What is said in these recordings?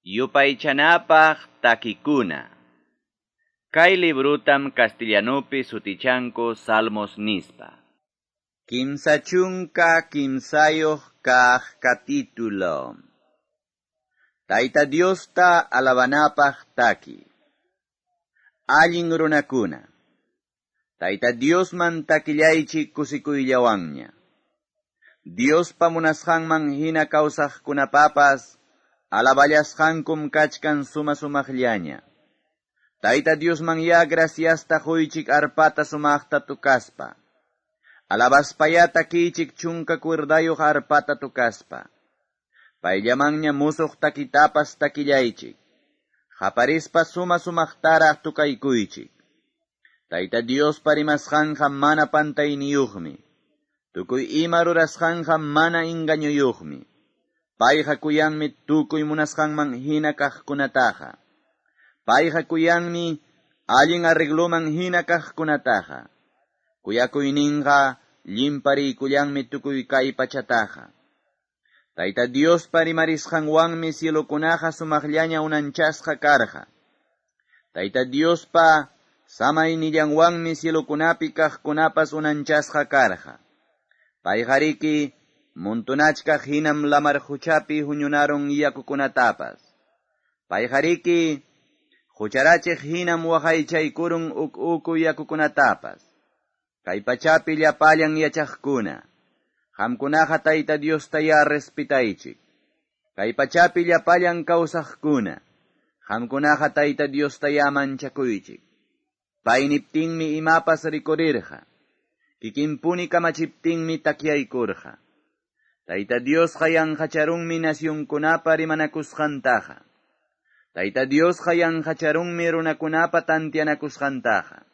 Yupaychanapaq takikuna. Kay librutam castellanupi sutichanku Salmos nispa. 33 kaq capítulo. Tayta Diosta alabanapaq taki. Allin runakuna. Tayta Diosman takillaychik kusikuyllawanña. Diospa munasqanman hina kawsaqkunapapas alaballasqankum kachkan suma sumaqllaña. Tayta Diosman ya graciasta quychik arpata sumaqta tukaspa. Alabaspaya takichik chunka cuerdayuq arpata tukaspa. Payllamanña musuq takitapas takillaychik. Qaparispa suma sumaqtaraq tukaykuychik. Tayta Diospa rimasqanqa mana pantayniyuqmi. Tukuy ima rurasqanqa mana engañuyuqmi. Payqa kuyanmi tukuy munasqanman hina kaqkunataqa. Payqa kuyanmi allin arregloman hina kaqkunataqa. Kuyakuyninqa llimpariykullanmi tukuy kay pachataqa. Tayta Diospa rimarisqanwanmi cielokunaqa sumaqllaña unanchasqa karqa. Tayta Diospa samaynillanwanmi cielokunapi kaqkunapas unanchasqa karqa. Payqariki montonachkaq hinam lamar quchapi huñunarun yakukunatapas. Payqariki qucharachiq hinam waqaychaykurun uk uku yakukunatapas. Kay pachapi llapallan yachaqkuna. Qamkunaqa Tayta Diosta ya respetaychik. Kay pachapi llapallan kawsaqkuna. Qamkunaqa Tayta Diosta ya manchakuychik. Pay niptinmi imapas rikurirqa. Kikinpuni kamachiptinmi takyaykurqa. Tayta Diosqa yanqacharunmi nacionkunapa rimanakusqantaqa. Tayta Diosqa yanqacharunmi runakunapa tantianakusqantaqa.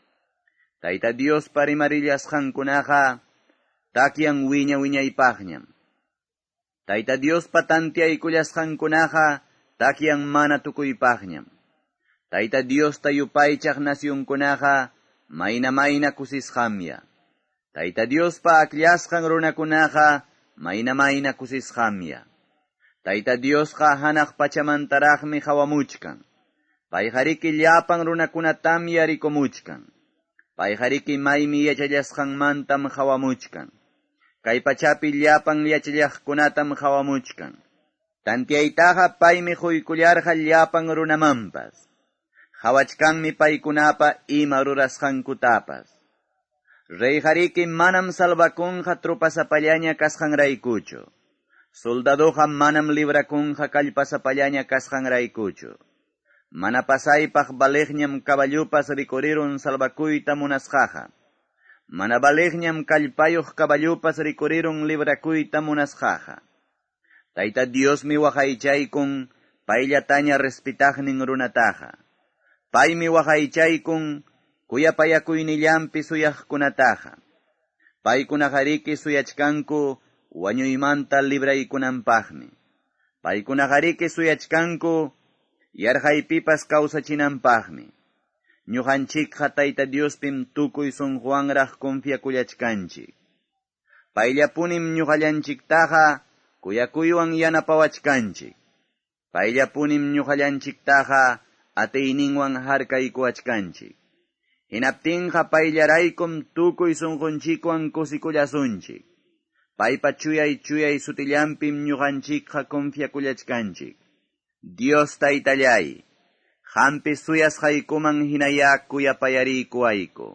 Tayta Diospa rimarillasqankunaqa takyan wiña wiñaypaqñam. Tayta Diospa tantiaykullasqankunaqa takyan mana tukuypaqñam. Tayta Diosta yupaychaq nacionkunaqa mayna mayna kusisqamya. Tayta Diospa akllasqan runakunaqa mayna mayna kusisqamya. Tayta Diosqa hanaq pachamantaraqmi hawamuchkan. Payqariki llapan runakunatam yarikumuchkan. Payqariki maymi yachallasqanmantam hawamuchkan. Kay pachapi llapan yachallaqkunatam hawamuchkan. Tantiaytaqa paymi quykullarqa llapan runamanpas. Hawachkanmi paykunapa ima rurasqankutapas. Reyqariki manam salvakunqa tropasapallaña kasqanraykuchu. Soldadoqa manam librakunqa kallpasapallaña kasqanraykuchu. Mana pasaypaq valiqñam caballupas rikurirun salvakuyta munasqaqa. Mana valiqñam kallpayuq caballupas rikurirun librakuyta munasqaqa. Tayta Diosmi waqaychaykun payllataña respetaqnin runataqa. Paymi waqaychaykun kuyapayakuynillanpi suyaqkunataqa. Paykunaqariki suyachkanku wañuymanta libraykunanpaqmi. Paykunaqariki suyachkanku yarqaypipas kawsachinanpaqmi. Ñuqanchikqa Tayta Diospim tukuy sunquwanraq confiakullachkanchik. Payllapunim ñuqallanchiktaqa kuyakuywan yanapawachkanchik. Payllapunim ñuqallanchiktaqa atiyninwan harkaykuwachkanchik. Hinaptinqa payllaraykum tukuy sunqunchikwan kusikullasunchik. Paypa chuyay chuyay sutillanpim ñuqanchikqa confiakullachkanchik. Dios Taytallay, qampi suyasqaykuman hinaya kuyapayariykuwayku.